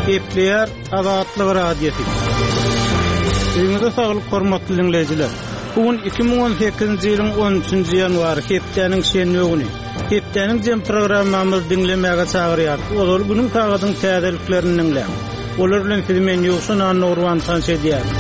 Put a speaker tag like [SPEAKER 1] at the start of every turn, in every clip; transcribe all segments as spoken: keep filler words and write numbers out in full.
[SPEAKER 1] Gepleýär Azatlyk Radiosy. Öýüňize saglyk hormatly diňleýjiler. Bu gün iki müň on sekizinji ýylyň on üçünji ýanwary, hepdäniň şenbe güni. Hepdäniň jem programmamyzy diňlemäge çagyrýar. Ozal günüň sagadyň täzeliklerini diňläň. Olar bilen sizi men Ýowşan Annagurban tanyş edýärin.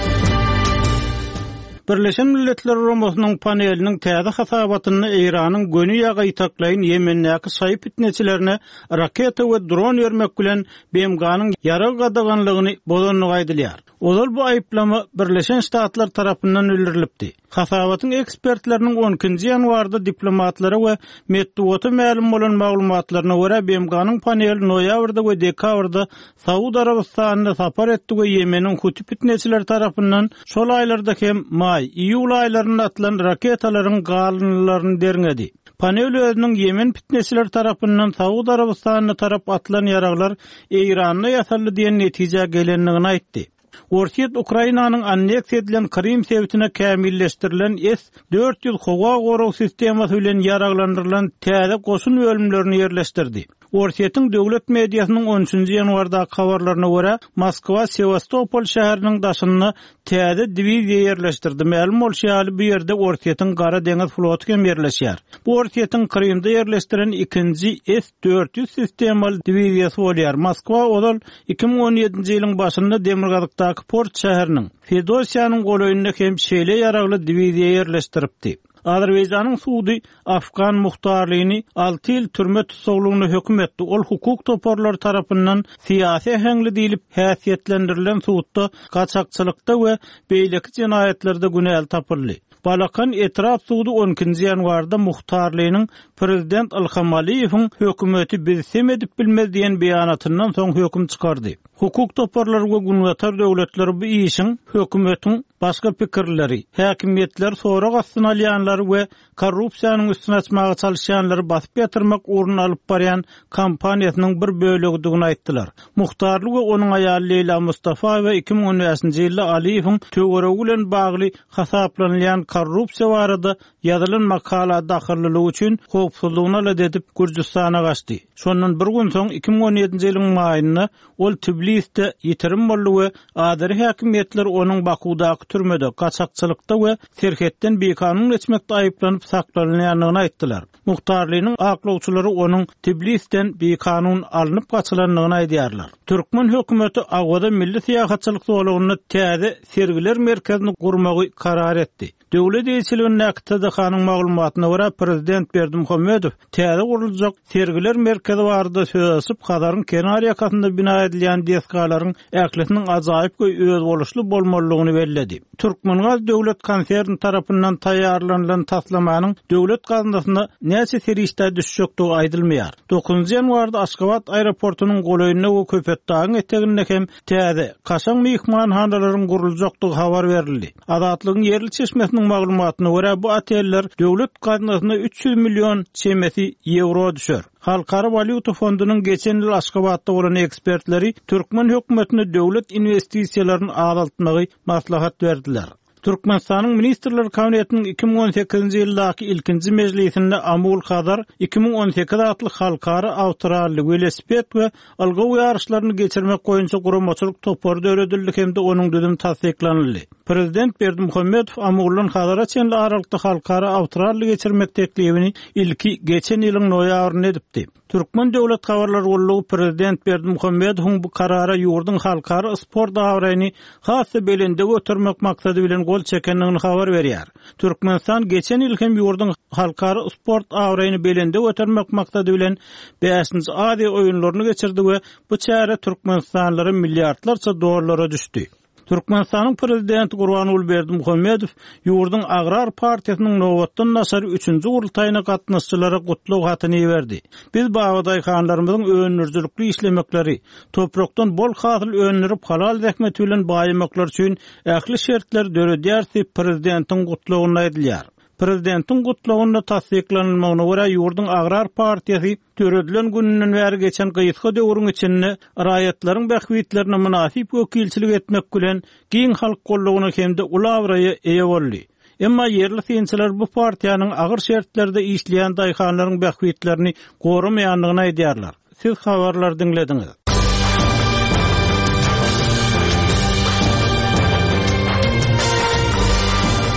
[SPEAKER 1] Birleşen Milletler Guramasynyň paneliniň täze hasabatynda Eýranyň göni ýa gaýtaklaýyn Ýemendäki şaýy fitneçilerine raketa we dron bermek bilen B M G-nyň ýarag gadaganlygyny bozandygy aýdylýar. Ozal bu aýyplama Birleşen Ştatlar tarapyndan bildirilipdi. Hasabatyň ekspertleriniň on ikinji ýanwarda diplomatlara we metbugata mälim bolan maglumatlaryna görä B M G-nyň paneli noýabrda we dekabrda Saud Arabystanyna sapar etdi we Ýemeniň Huti fitneçileri tarapyndan şol aýlarda hem maý, iýul aýlarynda atylan raketalaryň galyndylaryny derňedi. Panel özüniň Ýemen fitneçileri tarapyndan Saud Arabystanyna tarap atylan ýaraglar Eýranda ýasaldy diýen netijä gelendigini aýtdy. Orsýet Ukrainanyň anneksiýa edilen Krym sebitine kämilleşdirilen S dört ýüz howa gorag sistemasy bilen ýaraglandyrylan täze goşun bölümlerini ýerleşdirdi. Orsýetiň döwlet mediasynyň on üçünji ýanwardaky habarlaryna görä, Moskwa Sewastopol şäheriniň daşynda täze diwiziýa ýerleşdirdi. Mälim bolşy ýaly, bu ýerde Orsýetiň Gara deňiz floty hem ýerleşýär. Bu Orsýetiň Krymda ýerleşdiren ikinji S dört ýüz sistemaly diwiziýasy bolýar. Moskwa ozal iki müň on ýedinji ýylyň başynda Demirgazykdaky port şäheriniň Fedosiýanyň golaýynda hem şeýle ýaragly diwiziýa ýerleşdiripdi. Azerbaýjanyň sudy Afgan muhtarlygyny alty ýyl türme tussaglygyna höküm etdi. Ol hukuk toparlary tarapyndan syýasy äheňli diýlip häsiýetlendirilen sudda gaçakçylykda we beýleki jenaýatlarda günäli tapyldy. Balakan etrap sudy on ikinji ýanwarda muhtarlygynyň prezident Ilham Aliýewiň hökümeti biz sem edip bilmez diýen beýanatyndan soň höküm çykardy. Hukuk toparlary we günbatar döwletleri bu işiň hökümetiň başga pikirleri, häkimiýetler sorag astyna alýanlary we korrupsiýanyň üstüne açmaga çalışýanlary basyp ýatyrmak ugruna alyp barýan kampaniýasynyň bir bölegidigini aýtdylar. Muhtarly we onuň aýaly Leýla Mustafaýewa iki müň on bäşinji ýylda Aliýewiň töweregi bilen bagly hasaplanylýan korrupsiýa barada ýazylan makala dahyllylygy üçin howpsuzlygyny alada edip Gürjüstana gaçdy. Şondan bir gün soň iki müň on ýedinji ýylyň maýynda ol Tbilisde ýitirim boldy we Azeri häkimiýetleri onuň Bakudaky türmede, gaçakçylykda we serhetden bikanun geçmekde aýyplanyp saklanylýandygyny aýtdylar. Muhtarlynyň aklawçylary onuň Tbilisden bikanun alnyp gaçylandygyny aýdýarlar. Türkmen hökümeti Awaza milli syýahatçylyk zolagynda täze sergiler merkezini gurmagy karar etdi. Döwlet eýeçiligindäki T D H-nyň maglumatyna görä prezident Berdimuhamedow täze guruljak sergiler merkezi barada söz açyp, Hazaryň kenar ýakasynda bina edilýän desgalaryň ählisiniň ajaýyp we özboluşly bolmalydygyny belledi. Türkmengaz döwlet konserni tarapyndan taýýarlanylan taslamanyň döwlet gaznasyna näçe serişde düşjekdigi aýdylmaýar. Dokuzynjy ýanwarda Aşgabat aeroportunyň golaýynda we Köpetdagyň eteginde hem täze kaşaň myhmanhanalaryň guruljakdygy habar berildi. Azatlygyň ýerli çeşmesiniň maglumatyna görä bu oteller döwlet gaznasyna üç ýüz million çemesi ýewro düşer. Halkara walýuta fondunyň geçen ýyl Aşgabatda bolan ekspertleri türkmen hökümetine döwlet inwestisiýalaryny azaltmagy maslahat berdiler. Türkmenistanyň Ministrler Kabinetiniň iki müň on sekizinji ýyldaky ilkinji mejlisinde Amul Hazar iki müň on sekiz atly halkara awtoralli welosiped we ylgaw ýaryşlaryny geçirmek boýunça guramaçylyk topary döredildi hem-de onuň düzümi tassyklanyldy. Prezident Berdimuhamedow Amuldan Hazara çenli aralykda halkara awtoralli geçirmek teklibini ilki geçen ýylyň noýabrynda edipdi. Türkmen Döwlet Habarlar Gullugy Prezident Berdimuhamedowyň bu karara ýurduň halkara sport abraýyny has-da belende götermek maksady bilen gol çekendigini habar berýär. Türkmenistan geçen ýyl hem ýurduň halkara sport abraýyny belende götermek maksady bilen bäşinji Aziýa oýunlaryny geçirdi we bu çäre Türkmenistanlylara milliardlarça dollara düşdi. Türkmenistanyň prezidenti Gurbanguly Berdimuhamedow ýurduň Agrar partiýasynyň nobatdan daşary üçünji gurultaýyna gatnaşyjylara gutlag hatyny berdi. Biz babadaýhanlarymyzyň öndürijilikli işlemekleri, toprakdan bol hasyl öndürip halal zähmeti bilen baýamaklar üçin ähli şertleri döredýär diýip prezidentiň gutlagynda aýdylýar. Prezidentiň gutlagynda tassyklanylmagyna görä ýurduň Agrar partiýasy döredilen gününden bäri geçen gysga döwrüň içinde raýatlaryň bähbitlerine mynasyp wekilçilik etmek bilen giň halk gollugyna hem-de uly abraýa eýe boldy. Emma ýerli synçylar bu partiýanyň agyr şertlerde işleýän daýhanlaryň bähbitlerini goramaýandygyny aýdýarlar. Siz habarlar diňlediňiz.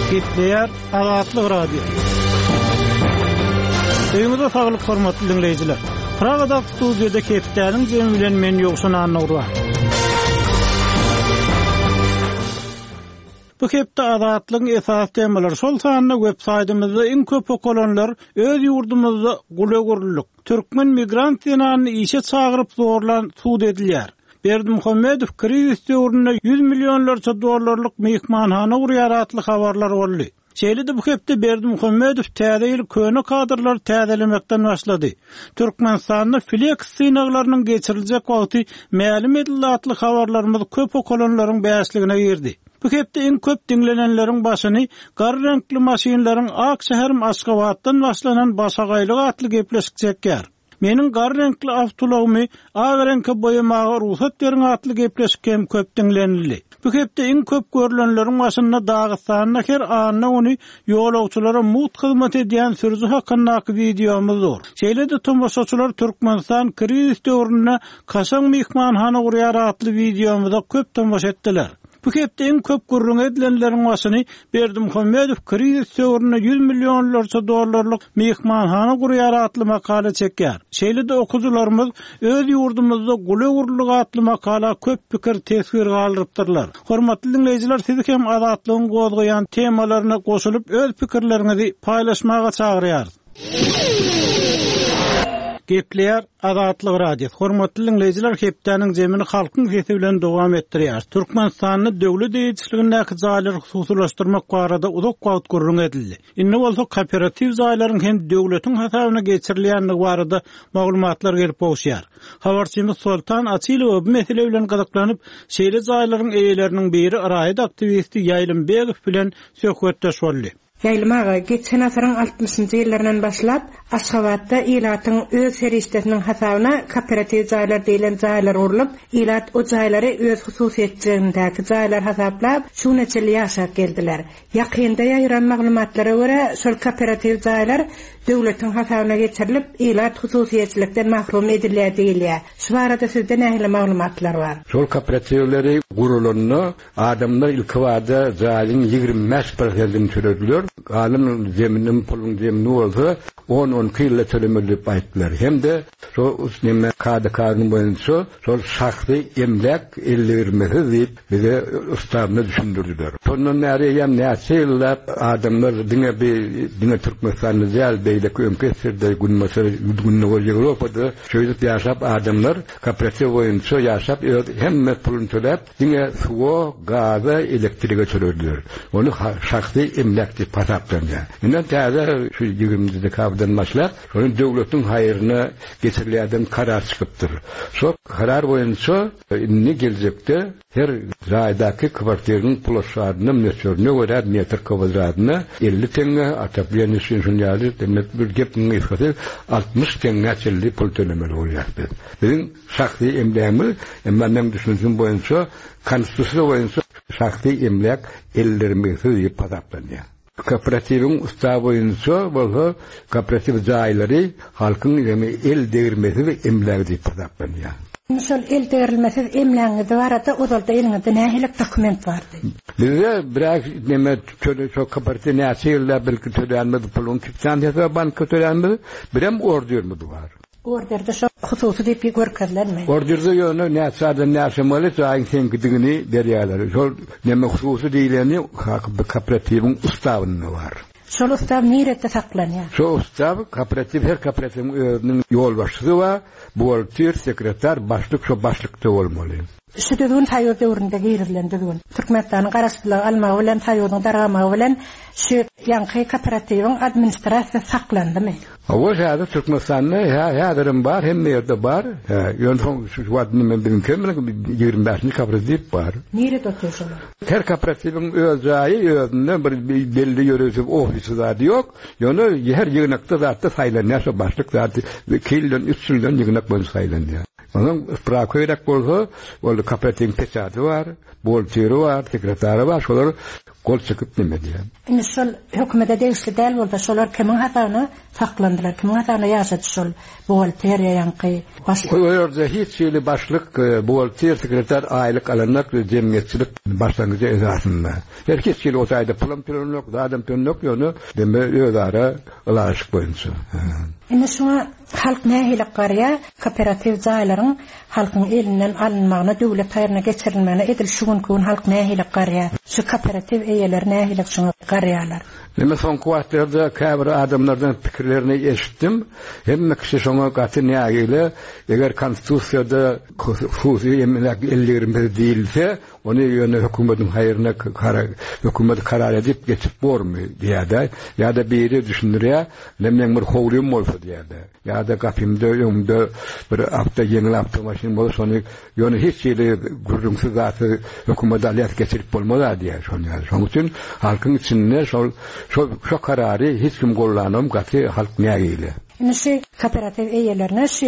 [SPEAKER 1] Gepleýär Azatlyk Radiosy. Öýüňize saglyk hormatly dinleýjiler. Pragada studiýada hepdäniň jemi bilen men Ýowşan Annurwan. Bu hepde Azatlygyň esas temalary şol sanda web saýtymyzda iň köp okalanlar öz ýurdumyzda gula gurluk. Türkmen migrant zenanyny işe çagyryp zorlan sud edilýär. Berdimuhamedow krizis döwründe ýüz millionlarça dollarlyk mehmanhana gurýar atly habarlar boldy. Şeýle-de bu hepde Berdimuhamedow täze ýyl köne kadrlar täzelemekden başlady. Türkmenistanda Flex synaglarynyň geçiriljek wagty mälim edildi atly habarlarymyz köp okalanlaryň bäşligine girdi. Bu hepde iň köp diňlenenleriň başyny gar reňkli maşynlaryň Ak şäherim Aşgabatdan başlanan başagaýlyk atly gepleşik çekýär. Meniň gar reňkli awtoulagymy ak reňke boýamaga rugsat beriň atly gepleşik hem köp diňlenildi. Bu hepde iň köp görülenleriň başynda Dagystanda her anna güni ýolagçylara mugt hyzmat edýän sürüji hakyndaky wideomyz dur. Şeýle-de tomaşaçylar Türkmenistan krizis döwründe kaşaň mehmanhana gurýar atly wideomyza köp tomaşa etdiler. Bu hepde iň köp gürrüň edilenleriň başyny Berdimuhamedow krizis döwründe ýüz millionlarça dollarlyk mehmanhana gurýar atly makala çekýär. Şeýle-de okuwçylarymyz öz ýurdumyzda gula gurluk atly makala köp pikir teswir galdyrypdyrlar. Hormatly dinleýjiler, sizi hem Azatlygyň gozgaýan temalaryna goşulyp öz pikirleriňizi paýlaşmaga çagyrýarys. Gepleýär Azatlyk Radiosy. Hormatly dinleýjiler, hepdäniň zemini halkyň sesi bilen dowam etdirýär. Türkmenistanda döwlet eýeçiligindäki jaýlary hususylaşdyrmak barada uzak wagt gürrüň edildi. Indi bolsa kooperatiw jaýlaryň hem döwletiň hasabyna geçirilýändigi barada maglumatlar gelip gowuşýar. Habarçymyz Soltan Açylow bu mesele bilen gyzyklanyp, şeýle jaýlaryň eýeleriniň biri raýat aktiwisti Ýaýlym Begow bilen söhbetdeş boldy.
[SPEAKER 2] Ýaýlym aga, geçen asyryň altmyşynjy ýyllaryndan başlap, Aşgabatda ilatyň öz serişdesiniň hasabyna kooperatiw jaýlar diýilen jaýlar gurlup, ilat o jaýlary öz hususyýetçiligindäki jaýlar hasaplap, şu güne çenli ýaşap geldiler. Ýakynda ýaýran maglumatlara görä, şol kooperatiw jaýlar döwletiň hasabyna geçirilip, ilat hususyýetçilikden mahrum edilýär diýilýär. Şu barada sizde nähili maglumatlar bar?
[SPEAKER 3] Şol kooperatiwleri gurulanda adamlar ilki wada jaýyň ýigrimi bäş prosentini tölediler. Galan zeminiň puluň zemini bolsa on on iki ýylda tölemeli diýip aýtdylar. Hem-de şo neme kada kanun boýunça şol şahsy emläk elli bermesiz diýip bize ustawna düşündirdiler. Şondan bäri eýýäm näçe ýyllap adamlar diňe bir diňe Türkmenistanda däl, beýleki öňki eserde Günbatar, Gündogar Ýewropada şeýdip ýaşap adamlar kooperatiw boýunça ýaşap öz hemme puluny töläp diňe suwa, gaza, elektrige tölediler. Ony şahsy emläk diýip hasaplanýar. Indi täze şu ýigriminji dekabrdan başlap, şony döwletiň haýryna geçirilýärden karar çykypdyr. Şo karar boýunça indi geljekde her jaýdaky kwartiryň ploşadyna möçberine görä metr kwadratyna elli teňňe, otoplenýe üçin şun ýaly, demek bir gepiň gysgasy altmyş teňňe çenli pul tölemeli bolýar biz. Biziň şahsy emlägimiz, emma men düşünjim boýunça, konstitusiýa boýunça şahsy emläk ellermesiz diýip hasaplanýar. Kooperatiwiň ustawy boýunça bolsa kooperatiw jaýlary halkyň ýemi el degirmesiz emlägi diýip hasaplanýar.
[SPEAKER 2] Şol el degirmesiz emlägiňiz barada ozalda eliňizde nähili dokument bardy?
[SPEAKER 3] Bizde biraz neme töle şo kooperatiw näçe ýylda belki tölenmedi puluň kitsansiýasy banka tölenmedi, birem orderimiz bar.
[SPEAKER 2] Orderde şo hususy diýip görkezilenmi?
[SPEAKER 3] Orderde ýöne näçe adam ýaşamaly jaýyň seňkidigini berýärler. Şol neme hususy diýileni kooperatiwiň ustawynda bar.
[SPEAKER 2] Şol ustaw nirede saklanýar?
[SPEAKER 3] Şo ustaw kooperatiw her kooperatiwiň özüniň ýolbaşçysy bar, buhgalter, sekretar, başlyk şo başlykda bolmaly.
[SPEAKER 2] Şu düzgün Soýuz döwründe girizilen düzgün. Türkmenistanyň garaşsyzlygy almagy bilen, Soýuzyň dargamagy bilen şu ýaňky kooperatiwiň administrasiýasy saklandymy?
[SPEAKER 3] Hawa, häzir Türkmenistanda hä, häzirim bar, hemme ýerde bar. Hä, ýöne soň şu wagt nime biziň kemlik ýigrimi bäşinji kooperatiw bar.
[SPEAKER 2] Nirede otyr şolar?
[SPEAKER 3] Her kooperatiwiň öz jaýy, özünde bir belli ýörite ofisi zady ýok. Ýöne her ýygnakda zatda saýlanýar, şo başlyk zady iki ýyldan, üç ýyldan ýygnak boýunça saýlanýar. Onuň sprawka gerek bolsa, ol kooperatiwiň peçaty bar, buhgalteri bar, sekretary bar, şolar Gol çekip neme diýen.
[SPEAKER 2] Indi şol hökümete degişli däl bolsa, şolar kimiň hasabyna saklandylar, kimiň hasabyna ýaşady şol buhgalteriýa ýaňky başlyk?
[SPEAKER 3] O ýerde hiç hili başlyk, e, buhgalter, sekretar aýlyk alanok we jemgyýetçilik başlangyjy esasynda. Her hiç hili o taýda pulam tölenok, zadam tölenok, ýöne deme özara ylalaşyk boýunça.
[SPEAKER 2] Indi şuňa halk nähili garýar? Kooperatiw jaýlaryň halkyň elinden alynmagyna, döwlet haýryna geçirilmegine edil şu günkü gün halk nähili garýar? Şu kooperatiw eýeleri nähili şuňa garýarlar?
[SPEAKER 3] Neme soňky wagtlarda käbir adamlardan pikirlerini eşitdim. Hemme kişi şoňa gaty nägile, eger konstitusiýada hususy emläk ellerimizde diýilse, ony ýöne hökümetiň haýryna hökümet karar edip geçip bormy diýýär. Ýa-da biri düşündirýär, men bir howlym bolsa diýýär. Ýa-da gapymda öňümde bir awto ýeňil awtomaşyn bolsa, şony ýöne hiç hili gürrüňsiz zaty hökümet alýar geçirip bolmaz diýýär şony. Şonuň üçin halkyň içinde şol şo şo karary hiç kim gollanam gaty halk nägile.
[SPEAKER 2] Indi şu kooperatiw eýelerine şu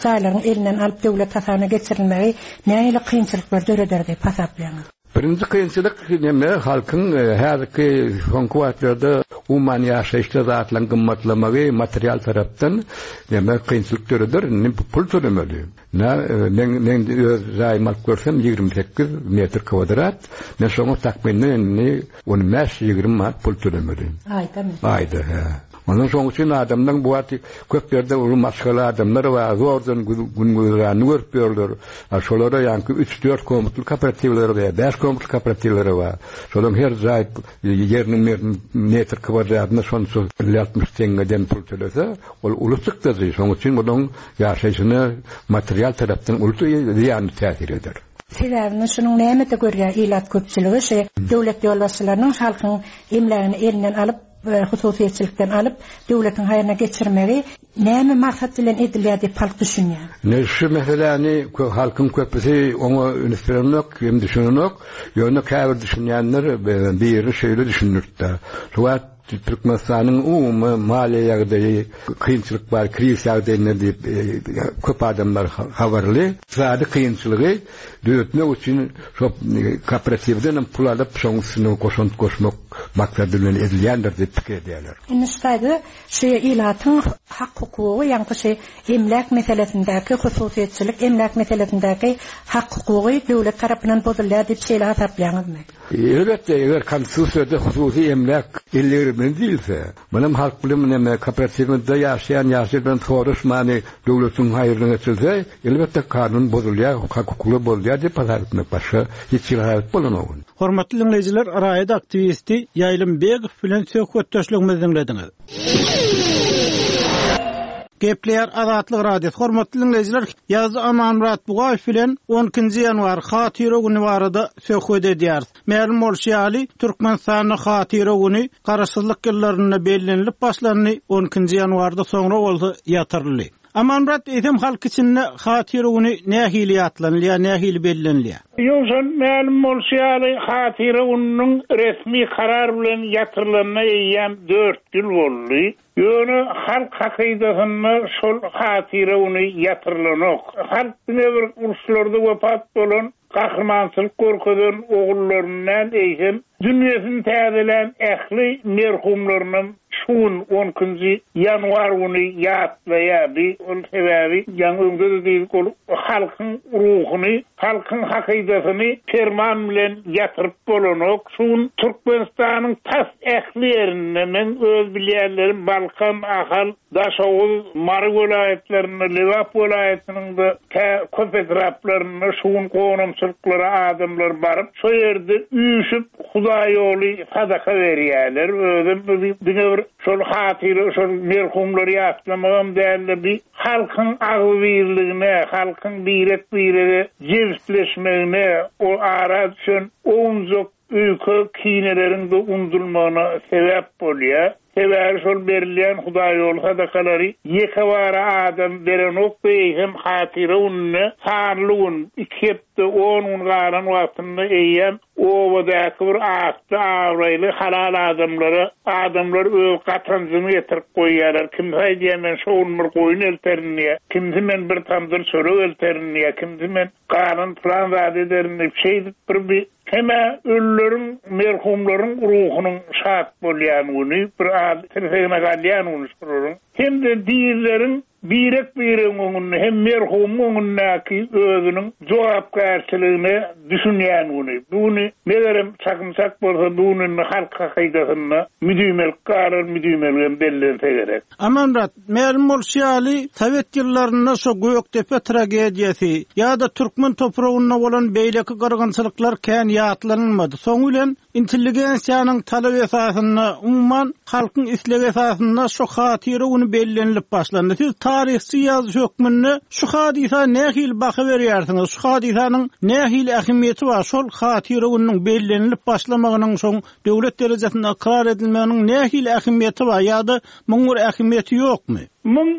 [SPEAKER 2] jaýlaryň elinden alyp döwlet hasabyna geçirilmegi nähili kynçylyklar döreder diýip hasaplaýaňyz?
[SPEAKER 3] Birinji kynçylyk neme halkyň e, häzirki soňky wagtlarda umuman ýaşaýyşda zatlaryň gymmatlamagy material tarapdan neme kynçylyk döreder, indi pul tölemeli. Na e, men men öz jaýymy alyp görsem ýigrimi sekiz metr kvadrat, men şoňa takmynan indi on bäş ýigrimi manat pul tölemeli.
[SPEAKER 2] Aýda mı?
[SPEAKER 3] Aýda, he. Ondan soň üçin adamdan bu wagt köp ýerde uly maşgala adamlar bar, zordan gün güzeranyny görüp ýörler. Ha, şolara ýaňky üç dört komutly kooperatiwleri bar, bäş komutly kooperatiwleri bar. Şolaryň her jaý ýeriniň metr kvadratyna şonça elli altmyş teňňeden pul tölese, ol uly çykdajy. Şonuň üçin bunuň ýaşaýşyna material tarapdan uly zyýanly täsir eder.
[SPEAKER 2] Sebäbini şunuň nämede görýär ilat köpçüligi, şu döwlet ýolbaşçylarynyň halkyň emlägini elinden alyp, e, hususyýetçilikden alyp, döwletiň haýryna geçirmegi näme maksat bilen edilýär diýip halk düşünýär.
[SPEAKER 3] Ne şu meseläni kö-, halkyň köpüsi oňa üns berenok, hem düşünenok. Ýöne käbir düşünýänler, e, biri şeýle düşündirdi. Şu wagt Türkmenistanyň umumy maliýe ýagdaýy kynçylyk bar, kriz ýagdaýynda diýip, e, köp adamlar ha-, habarly. Ykdysady kynçylygy döretmek üçin şo, e, kooperatiwden hem pul alyp, şoň üstüne goşant goşmak maksady bilen edilýändir diýip pikir edýärler.
[SPEAKER 2] Indi şu taýda şu ilatyň hak hukugy, ýaňky şu emläk meselesindäki hususyýetçilik emläk meselesindäki hak hukugy döwlet tarapyndan bozulýar diýip şeýle hasaplaýaňyzmy?
[SPEAKER 3] Elbetde, eger konstitusiýada hususy emläk ellerimizde diýilse, munuň halk bilen näme kooperatiwde ýaşaýan ýaşaýan bilen soraşmany döwletiň haýryna geçirse, elbetde kanun bozulýar, hak hukugy bozulýar diýip hasap etmek başga hiç hili hasap bolanok.
[SPEAKER 1] Hormatly dinleýjiler, raýat aktiwisti Ýaýlym Begow bilen söhbetdeşligimizi diňlediňiz. Gepleýär Azatlyk Radiosy. Hormatly dinleýjiler, Ýazdy Amanmyrat Bugaýew bilen on ikinji ýanwar Hatyra güni barada söhbet edýäris. Mälim bolşy ýaly, Türkmenistanda Hatyra güni garaşsyzlyk ýyllarynda bellenilip başlandy, on ikinji ýanwarda soňra bolsa ýatyryldy. Amanmyrat, eýsem halk içinde Hatyra güni nähili ýatlanylýar, nähili bellenilýär?
[SPEAKER 4] Ýowşan, mälim bolşy ýaly, Hatyra gününiň resmi karar bilen ýatyrylanyna eýýäm dört ýyl boldy. Ýöne halk hakydasynda şol Hatyra güni ýatyrylanok. Halk diňe bir uruşlarda wepat bolan, gahrymançylyk görkezen ogullarynyň eýsem dünýesini täzelän ähli merhumlarynyň şu gün on ikinji ýanwar güni ýatlaýardy. Ol sebäbi ýaňy öňde de diýdik, ol halkyň ruhuny, halkyň hakydasyny perman bilen ýatyryp bolanok. Şu gün Türkmenistanyň tas ähli ýerinde men öz bilýänlerim Balkan, Ahal, Daşoguz, Mary welaýatlarynda, Lebap welaýatynda tä köp etraplarynda şu gün gonamçylyklara adamlar baryp, şo ýerde üýşüp Hudaý ýoly sadaka berýärler. Özüm diňe bir şol hatyra, şol merhumlary ýatlamagam däldi. Bir halkyň agzybirligine, halkyň birek-birege jebisleşmegine, o ara düşen owunjak öýke kineleriň de undulmagyna sebäp bolýar. Sebäbi şol berilýän Hudaý ýoly sadakalary ýeke bara adam berenok eýsem hatyra gününe sanly gün, iki hepde, on gün galan wagtynda eýýäm obadaky bir atly, abraýly halal adamlara adamlar öz gatanjyny getirip goýýarlar. Kimse aýdýar, men şo gün bir goýun elterin diýýär. Kimse men bir tamdyr çörek elterin diýýär. Kimse men galan plan zat ederin diýip, şeýdip bir bir Hem-ä ölüleriň, merhumlaryň ruhunyň şat bolýan güni, bir az tirsegine galýan güni şolaryň. Hem-de dirileriň birek-biregiň öňünde hem merhumyň öňündäki özüniň jogapkärçiligine düşünýän güni. Bu güni megerem çakym-çak bolsa bu gününi halk hakydasynda müdümelik galar, müdümeligem bellense gerek.
[SPEAKER 1] Amanmyrat, mälim bolşy ýaly, Sowet ýyllarynda şo Gökdepe tragediýasy ýa-da türkmen topragynda bolan beýleki gyrgynçylyklar kän ýatlanylmady. Soň bilen intelligensiýanyň talaby esasynda, umuman halkyň islegi esasynda şo hatyra güni bellenilip başlandy. Siz taryhçy ýazyjy hökmünde şu hadysa nähili baha berýärsiňiz? Şu hadysanyň nähili ähmiýeti bar? Şol hatyra gününiň bellenilip başlamagynyň şoň döwlet derejesinde ykrar edilmeginiň nähili ähmiýeti bar ýa-da muň bir ähmiýeti ýokmy?
[SPEAKER 4] Muň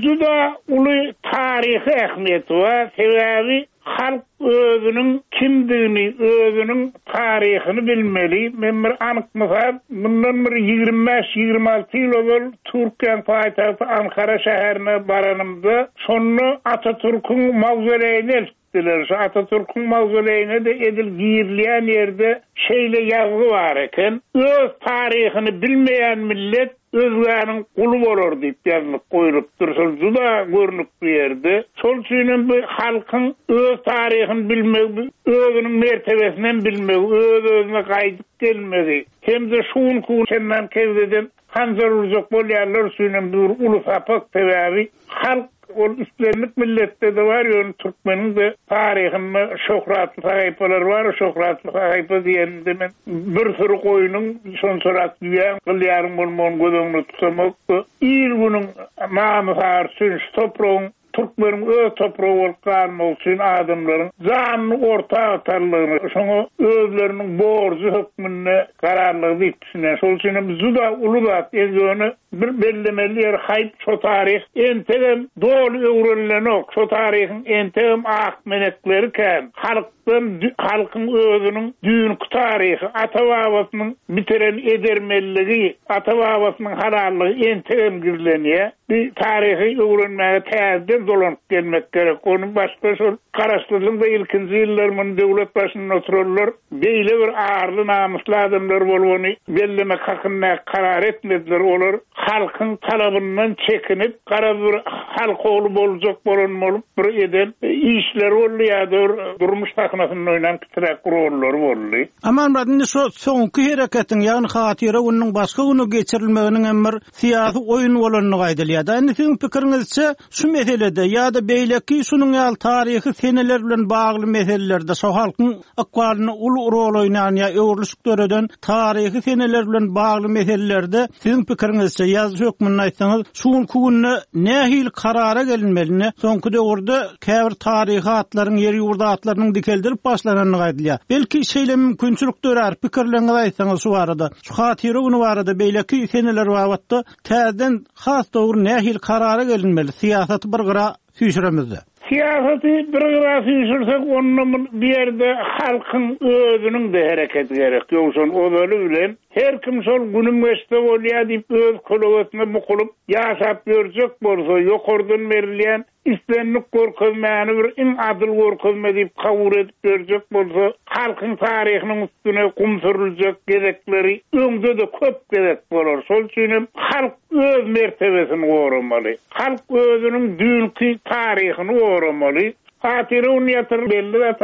[SPEAKER 4] juda uly taryhy ähmiýeti bar. Sebäbi halk özüniň kimdigini, özüniň taryhyny bilmeli. Men bir anyk mysal, bundan bir ýigrimi bäş, ýigrimi alty ýyl ozal Türkiýäniň paýtagty Ankara şäherine baranymda, şonda Atatürk'ün mawzoleýini eltdiler. Şu Atatürk'ün mawzoleýine de edil girilýän ýerde şeýle ýazgy bar eken. Öz taryhyny bilmeýän millet özgäniň guly bolar diýip ýazlyk goýlupdyr. Şol juda görnükli ýerde. Şol üçin hem bu halkyň öz taryhyny bilmegi, özüniň mertebesini bilmegi, öz-özüne gaýdyp gelmegi hem-de şu günki senden kewdeden hanjar urjak bolýanlar üçin hem bir uly sapak. Sebäbi halk ol islendik milletde de bar, ýöne türkmeniň de taryhynda şöhratly sahypalar bar. Şöhratly sahypa diýende men bir sürü goýnuň şonçarak düýäň gylýaryň bolmagyny göz öňünde tutamak, il günüň namysar üçin şu topragyň türkmeniň öz topragy bolup galmagy üçin adamlaryň janyny orta atarlygyny, şoňa özleriniň borjy hökmünde kararlygy diýip düşünýän. Şol üçin hem juda uly zat, ýöne bir bellemeli ýer haýp şo taryh entegem doly öwrenilenok. Şo taryhyň entegem ak menekleri kän. Halkdan halkyň özüniň düýnki taryhy, ata-babasynyň bitiren edermenligi, ata-babasynyň halallygy entegem gizlenýär. Bir taryhy öwrenmäge täzeden dolanyp gelmek gerek. Onu başga şol garaşsyzlygyň da ilkinji ýyllarynda döwlet başynda oturanlar beýle bir arly namysly adamlar bolup bellemek hakynda karar etmediler. Olar halkyň talabyndan çekinip, gara bir halk ogly boljak bolan bolup bir eden işler boldy ýa-da bir durmuş sahnasynda oýnan kiçiräk rollary boldy.
[SPEAKER 1] Amanmyrat, indi şu soňky hereketiň, ýagny hatyra gününiň başga güne geçirilmeginiň hem bir syýasy oýun bolandygy aýdylýar. Da indi siziň pikiriňizçe şu meselede ýa-da beýleki şunuň ýaly taryhy seneler bilen bagly meselelerde şo halkyň ykbalyny uly rol oýnan ýa öwrülişik döreden taryhy seneler bilen bagly meselelerde siziň pikiriňizçe ýazyjy hökmünde aýtsaňyz, şu günki günde nähili karara gelinmeli? Soňky döwürde käbir taryhy atlaryň, ýer ýurt atlarynyň dikeldilip başlanandygy aýdylýar. Belki şeýle mümkinçilik dörer, pikirleriňizi aýtsaňyz şu barada. Şu hatyra güni barada beýleki seneler babatda täzeden has dogry nähili karara gelinmeli? Syýasaty bir gyra süýşüremizde.
[SPEAKER 4] Syýasaty bir gyra süýşürsek, onda bir ýerde halkyň özüniň de hereketi gerek. Ýogsa ozaly bilen her kim şol günüm geçse bolýar diýip öz kölegesine bukulyp ýaşap ýörjek bolsa, ýokardan berilýän islendik görkezmäni bir iň adyl görkezme diýip kabul edip ýörjek bolsa, halkyň taryhynyň üstüne gum sürüljek gezekleri öňde-de köp gezek bolar. Şol üçin hem halk öz mertebesini goramaly. Halk özüniň düýnki taryhyny goramaly. Hatyra güni ýatyr belli zat,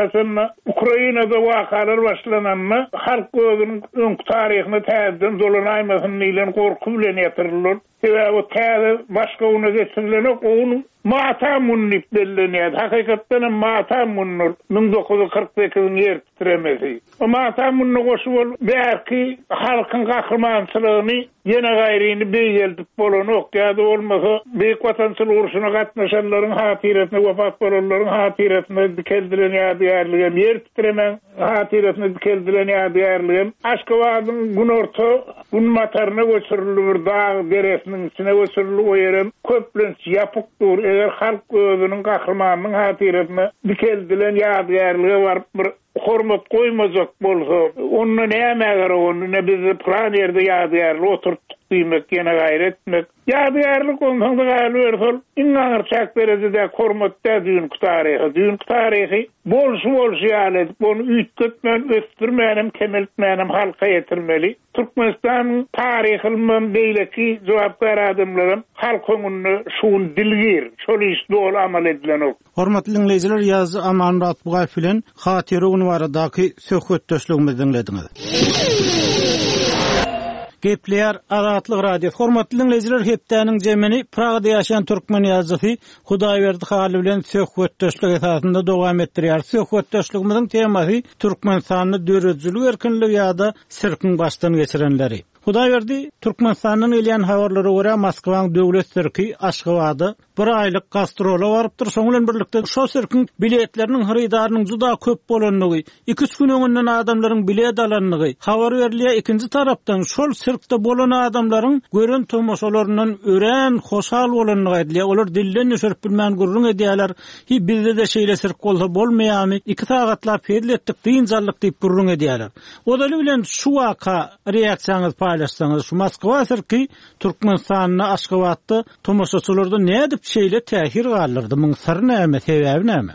[SPEAKER 4] Ukrainada wakalar başlananda halk özüniň öňki taryhyny täzeden dolanaýmasyn diýlen gorky bilen ýatyryldy. Sebäbi o täze başga güne geçirilenok, o gün matam güni diýip bellenýär. Hakykatdan hem matam günüdir. Müň dokuz ýüz kyrk sekiziň ýer titremesi. O matam gününe goşup ol belki halkyň gahrymançylygyny ýene gaýryny beýgeldip bolanok ýa-da bolmasa Beýik Watançylyk urşuna gatnaşanlaryň hatyrasyna, wepat bolanlaryň hatyrasyna dikeldilen ýadygärligem, ýer titremeň hatyrasyna dikeldilen ýadygärligem Aşgabadyň günorta günbataryna göçürildi, bir dag deresiniň içine göçürildi, o ýerem köplenç ýapyk dur. Eger halk özüniň gahrymanynyň hatyrasyna dikeldilen ýadygärlige baryp bir hormat goýmajak bolsa, onda näme gerek, onda ne biz plan ýerde ýadygärlik oturtdyk diýmek, ýene gaýra etmek. Ýadygärlik onsoň-da galyberse ol iň aňyr çäk derejede hormat dä düýnki taryhy. Düýnki taryhy bolşy bolşy ýaly edip, ony üýtgetmän, ösdürmänem, kemeltmänem halka ýetirmeli. Türkmenistanyň taryhy ylmam beýleki jogapkär adamlaram halk öňünde şuň dilgir, şol iş doly amal edilenok.
[SPEAKER 1] Hormatly diňleýjiler, ýazyjy Amanmyrat Bugaýew bilen Hatyra güni baradaky söhbetdeşligimizi diňlediňiz. Gepleýär Azatlyk Radiosy. Hormatly diňleýjiler, hepdäniň jemini Pragada ýaşaýan türkmen ýazyjysy Hudaýberdi Hally bilen söhbetdeşlik esasynda dowam etdirýär. Söhbetdeşligimiziň temasy Türkmenistanda döredijilik erkinligi ýa-da sirkiň başdan geçirenleri. Hudaýberdi, Türkmenistandan gelýän habarlara görä Moskwaň döwlet sirki Aşgabada bir aýlyk gastrola barypdyr. Şoň bilen birlikde şo sirkiň biletleriniň hyrydarynyň juda köp bolandygy, iki-üç gün öňünden adamlaryň bilet alandygy habar berilýär. Ikinji tarapdan şol sirkde bolan adamlaryň gören tomaşalaryndan örän hoşal bolandygy aýdylýar. Olar dilden düşürip bilmän gürrüň edýärler. Hi bizde de şeýle sirk bolsa bolmaýarmy? Iki sagatlap hezil etdik, dynç aldyk diýip gürrüň edýärler. Ozaly bilen şu waka reaksiýaňyzy paýlaşsaňyz, şu Moskwa sirki Türkmenistanda, Aşgabatda tomaşaçylarda nädip şeýle täsir galdyrdy? Muň syry näme, sebäbi näme?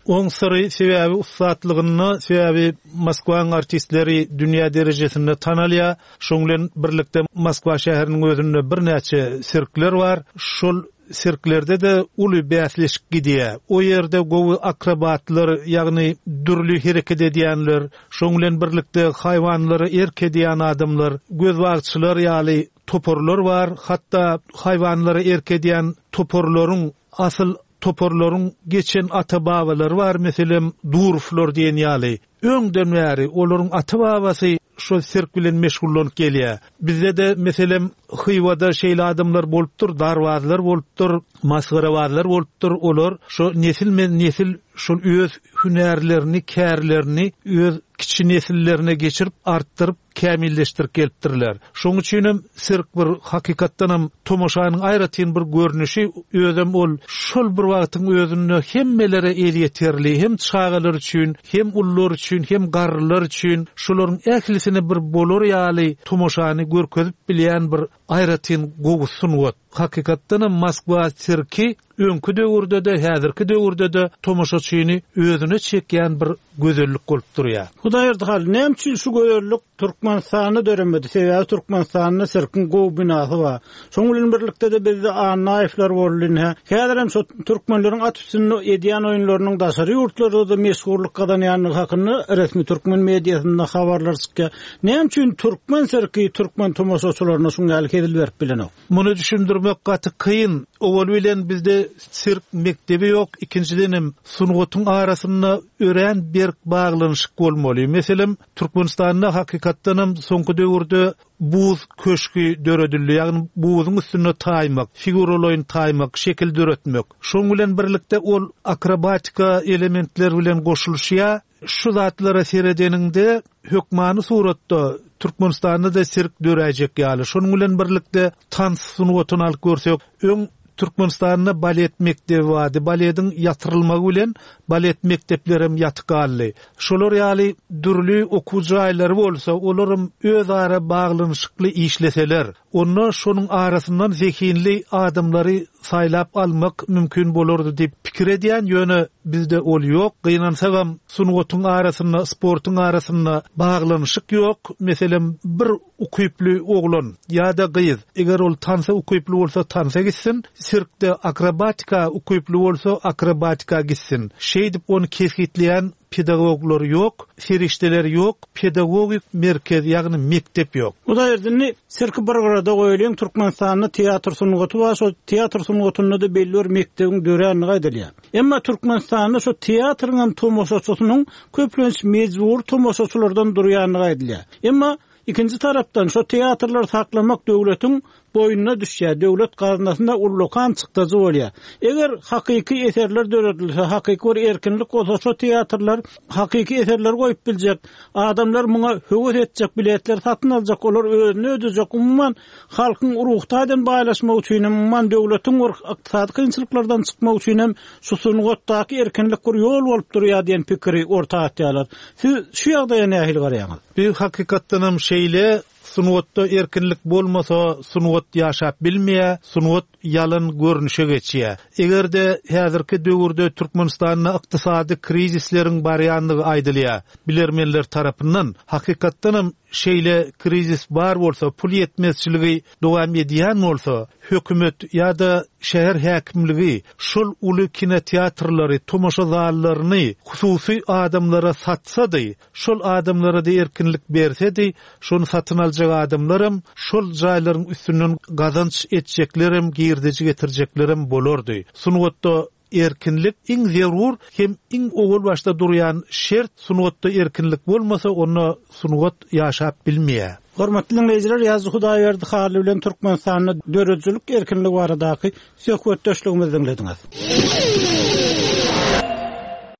[SPEAKER 5] Oň syry sebäbi ussatlygynda, sebäbi Moskwaň artistleri dünýä derejesinde tanalýar. Şoň bilen birlikde Moskwa şäheriniň özünde birnäçe sirkler bar. Şol sirklerde de uly bäsleşik gidýär. O ýerde gowy akrobatlar, ýagny dürli hereket edýänler, şoň bilen birlikde haýwanlara erk edýän adamlar, gözbagçylar ýaly toparlar bar. Hatda haýwanlara erk edýän toparlaryň asyl toparlaryň geçen ata-babalary bar, meselem Duruflar diýen ýaly. Öňden bäri olaryň ata-babasy şol sirk bilen meşgullanyp gelýär. Bizde de meselem Hyýwada şeýle adamlar bolupdyr, darbazlar bolupdyr, masgarabazlar bolupdyr. Olar şo nesil men nesil şol öz hünärlerini, kärlerini öz kiçi nesillerine geçirip, artdyryp, kämilleşdirip gelipdirler. Şoň üçin hem sirk bir hakykatdan hem tomaşanyň aýratyn bir görnüşi, özem ol şol bir wagtyň özünde hemmelere elýeterli, hem çagalar üçin, hem ullar üçin, hem garrylar üçin şolaryň ählisine bir bolar ýaly tomaşany görkezip bilýän bir aýratyn gowy sungat. Hakykatdan hem Moskwa sirki öňki döwürde-de, häzirki döwürde-de tomaşaçyny özüne çekýän bir gözellik bolup durýar.
[SPEAKER 1] Hudaýberdi Hally, näme üçin şu gözellik Türkmenistanda döremedi? Sebäbi Türkmenistanda sirkiň gowy binasy bar. Şoň bilen birlikde de bizde Annaýewler boldy ine. Häzir hem şu türkmenleriň at üstünde edýän oýunlarynyň daşary ýurtlarda da meşhurlyk gazanýandygy hakynda resmi türkmen mediasynda habarlar çykýar. Näme üçin türkmen sirki türkmen tomaşaçylaryna şuň ýaly hezil berip bilenok?
[SPEAKER 5] Muny düşündirmek gaty kyn. Owal bilen bizde sirk mekdebi ýok. Ikinjiden hem sungatyň arasynda örän berk baglanyşyk bolmaly. Meselem, Türkmenistanda hakykatdan hem soňky döwürde buz köşgi döredildi. Ýagny buzuň üstünde taýmak, figuralaýyn taýmak, şekil döretmek. Şoň bilen birlikde ol akrobatika elementler bilen goşulyşýar. Şu zatlara seredeniňde hökmany suratda Türkmenistanda da sirk döräýjek ýaly. Şonuň bilen birlikde tans sungatyny alyp görsek, öň Türkmenistanda balet mekdebi bardy. Balediň ýatyrylmagy bilen balet mekdepleri hem ýatyk galdy. Şolar ýaly dürli okuw jaýlary bolsa, olaram öz ara baglanyşykly işleseler, onda şonuň arasyndan zehinli adamlary saýlap almak mümkin bolardy diýip pikir edýän, ýöne bizde ol ýok. Gynansagam sungatyň arasynda, sportuň arasynda baglanyşyk ýok. Meselem, bir ukyply oglan ýa-da gyz, eger ol tansa ukyply bolsa tansa gitsin, sirkde akrobatika ukyply bolsa akrobatika gitsin. Şeýdip ony kesgitleýän pedagoglar ýok, serişdeler ýok, pedagogik merkez, ýagny mekdep ýok.
[SPEAKER 1] Hudaýberdi, sirki bir gyrada goýulýan Türkmenistanda teatr sungaty bar, şo teatr sungatynda da belli bir mekdebiň döränligi aýdylýar. Emma Türkmenistanda şo teatryň hem tomaşaçysynyň köplenç mejbur tomaşaçylardan durýanlygy aýdylýar. Emma ikinji tarapdan şo teatrlary saklamak döwletiň boýnuna düşýär. Döwlet gaznasynda ullakan çykdajy bolýar. Eger hakyky eserler döredilse, hakyky bir erkinlik bolsa, şo teatrlar hakyky eserler goýup biljek, adamlar muňa höwes etjek, biletler satyn aljak, olar özüni ödejek. Umuman halkyň ruh taýdan baýlaşmak üçin hem, umuman döwletiň bir ykdysady kynçylyklardan çykmak üçin hem şu sungatdaky erkinlik bir ýol bolup durýar diýen pikiri orta atýarlar. Siz şu ýagdaýa nähili garaýaňyz?
[SPEAKER 5] Bir hakykatdan hem şeýle Sungatda erkinlik bolmasa, sungat ýaşap bilmeýär, sungat ýalan görnüşe geçýär. Eger-de häzirki döwürde Türkmenistanda ykdysady krizisleriň barýandygy aýdylýar, bilermenler tarapyndan hakykatdanam şeýle krizis bar bolsa, pul ýetmezçiligi dowam edýän bolsa, hökümet ýa-da şäher häkimligi şol uly kinoteatrlary, tomaşa zallaryny hususy adamlara satsady, şol adamlara da erkinlik bersedi, şony satyn aljak adamlaram şol jaýlaryň üstünden gazanç etjeklerem, girdeji getirjeklerem bolardy. Sungatda erkinlik iň zerur hem iň owal başda durýan şert. Sungatda erkinlik bolmasa, onda sungat ýaşap bilmeýär.
[SPEAKER 1] Hormatly dinleýjiler, Ýazyjy Hudaýberdi Hally bilen Türkmenistanda döredijilik erkinligi baradaky söhbetdeşligimizi diňlediňiz.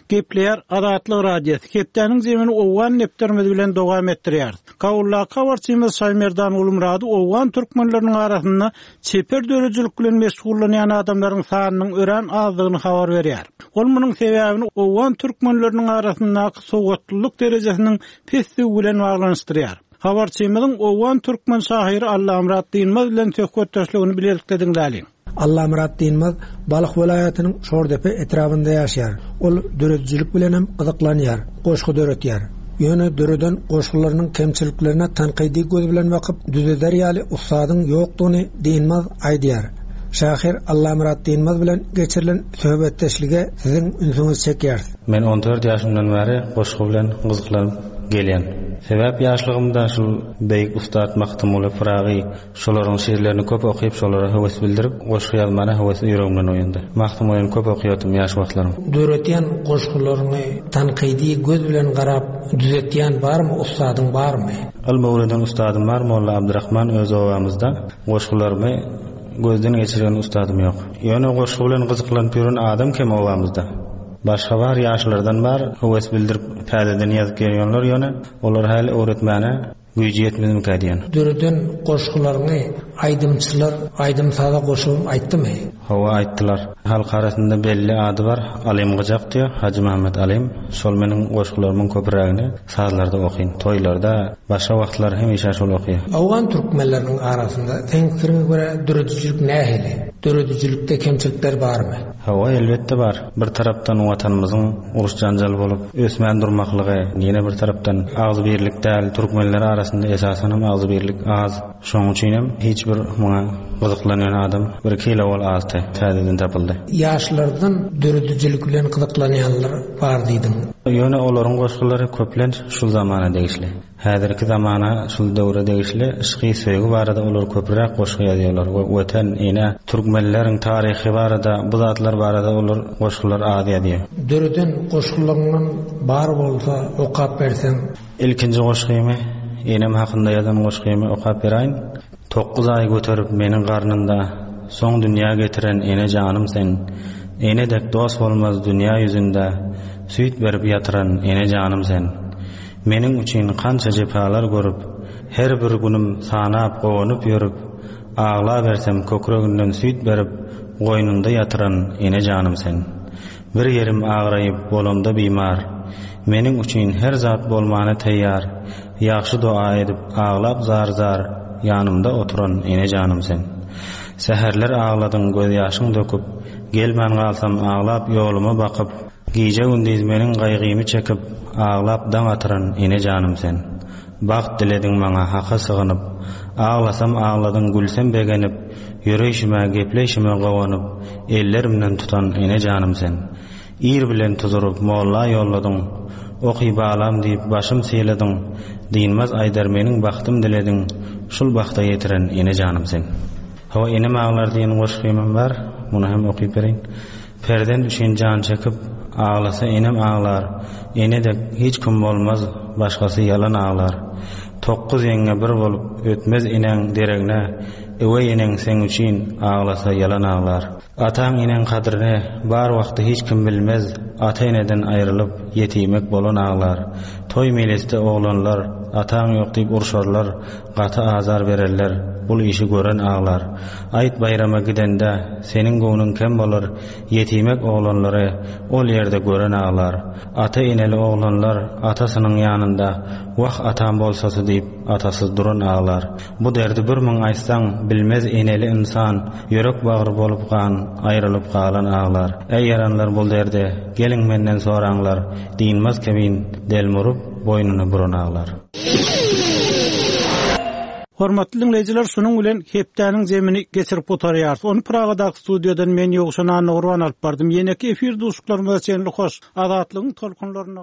[SPEAKER 1] Gepleýär Azatlyk Radiosy. Hepdäniň zemini Owgan nepterimiz bilen dowam etdirýär. Kabuldaky habarçymyz Şaýmerdan Gulmurady Owgan türkmenleriniň arasynda çeper döredijilik bilen meşgullanýan adamlaryň sanynyň örän azdygyny habar berýär. Ol munuň sebäbini Owgan türkmenleriniň arasyndaky sowatlylyk derejesiniň pesdigi bilen baglanyşdyrýar. Habarçymyzyň Owgan türkmen şahyry Allamyrat Dynmaz bilen söhbetdeşligini bilelikde diňläliň.
[SPEAKER 6] Allamyrat Dynmaz Balh welaýatynyň Şordepe etrabynda ýaşaýar. Ol döredijilik bilen hem gyzyklanýar, goşgy döretýär. Ýöne döreden goşgularynyň kemçiliklerine tankydy göz bilen bakyp, düzeder ýaly ussadyň ýokdugyny Dynmaz aýdýar. Şahyr Allamyrat Dynmaz bilen geçirilen söhbetdeşlige siziň ünsüňizi çekýäris.
[SPEAKER 7] Men on dört ýaşymdan bäri goşgy bilen gyzyklanyp gelýän. Sebäp ýaşlygymda şul beýik ustat Magtymguly Pyragy şolaryň şiirlerini köp okyp, şolara höwes bildirip, goşgy ýazmana höwes ýüregimden oýandy. Magtymgulyny köp okuyordum ýaş wagtlarym.
[SPEAKER 6] Döretýän goşgularyňy tankydy göz bilen garap düzetýän barmy, ussadyň barmy?
[SPEAKER 7] Ylmy öwreden ustadym bar, Molla Abdurrahman öz obamyzda. Goşgularymy gözden geçiren ustadym ýok. Ýöne goşgy bilen gyzyklanyp ýören adam kem obamyzda. Başga bar, ýaşlardan bar, höwes bildirip täzeden ýazyp gelýänler ýöne olar häli öwretmäne güýji ýetmezmikä diýen.
[SPEAKER 6] Döreden goşgularyňy aýdymçylar aýdym saza goşup aýtdymy?
[SPEAKER 7] Hawa aýtdylar. Halk arasynda belli ady bar, Alim Gyjak diýär, Hajy Muhammet Alim. Şol meniň goşgularymyň köpürägini sazlarda okyn, toýlarda, başga wagtlar hemişe şol okýar.
[SPEAKER 6] Owgan türkmenleriniň arasynda seň pikiriňe görä döredijilik nähili? Döredijilikde kemçilikler barmy?
[SPEAKER 7] Hawa, elbetde bar. Bir tarapdan watanymyzyň uruş janjal bolup ösmän durmaklygy, ýene bir tarapdan agzybirlik däl, türkmenler arasynda esasan hem agzybirlik az. Şonuň üçin hem hiç bir muňa gyzyklanýan adam bir kilo bol azdy, täzeden tapyldy.
[SPEAKER 6] Ýaşlardan döredijilik bilen gyzyklanýanlar bar diýdiň.
[SPEAKER 7] Ýöne olaryň goşgulary köplenç şul zamana degişli. Häzirki zamana şul döwre degişli yşky söýgi barada olar köpräk goşgy ýazýarlar we watan, ene, türkmenleriň taryhy barada, bu zatlar barada olar goşgular az ýazýar.
[SPEAKER 6] Döreden goşgularyňdan bar bolsa okap berseň.
[SPEAKER 7] Ilkinji goşgymy, enem hakynda ýazan goşgymy okap beräýin. Tokuz aý göterip meniň garnynda, soň dünýä getiren ene janym sen. Ene dek dost bolmaz dünýä ýüzünde, süýt berip ýatyran ene janym sen. Meniň üçin kança jepalar görüp, her bir günüm sanap gowanyp ýörüp, agla bersem kökreginden süýt berip, goýnunda ýatyran ene janym sen. Bir ýerim agraýyp bolamda bimar, meniň üçin her zat bolmana taýýar, ýagşy dua edip aglap zar-zar, ýanymda oturan ene janym sen. Säherler agladyň göz ýaşyň döküp, gelmän galsam aglap ýoluma bakyp, gije gündiz meniň gaýgymy çekip, aglap daň atyran ene janym sen. Bagt dilediň maňa haka sygynyp, aglasam agladyň gülsem begenip, ýöreýşime gepleýşime gowanyp, ellerimden tutan ene janym sen. Ir bilen tuzuryp molla ýolladyň, oky balam diýip başym syladyň, dynmaz aýdar meniň bagtym dilediň, şul bagta ýetiren ene janym sen. Hawa enem aglar diýen goşgymym bar, muny hem okyp bereýin. Perden üçin jan çekip, aglasa enem aglar, ene dek hiç kim bolmaz, başgasy ýalan aglar. Tokuz ýeňňe bir bolup ötmez enäň deregine, Öweý eneň seň üçin aglasa ýalan aglar. Ataň eneň kadryny bar wagty hiç kim bilmez, Ata-eneden aýrylyp ýetimek bolan aglar. Toý meýlisde oglanlar ataň ýok diýip urşarlar, Gaty azar bererler, bul işi gören aglar. Aýt baýrama gidende seniň göwnüň kem bolar, Ýetimek oglanlary ol ýerde gören aglar. Ata-eneli oglanlar atasynyň ýanynda Wah atam bolsasy diýip atasyz duran aglar. Bu derdi bir müň aýtsaň bilmez eneli ynsan, Ýürek bagry bolup gan aýrylyp galan aglar. Äý ýaranlar bul derde geliň menden soraňlar, Dynmaz kebin delmurup boýnuny buran aglar.
[SPEAKER 1] Hormatly dinleýjiler, şunuň bilen hepdäniň zemini geçirip gutarýarys. Ony Pragadaky studiýadan men Ýowşan Annagurban alyp bardym. Ýeneki efir duşuşyklarymyza çenli hoş. Azatlygyň tolkunlarynda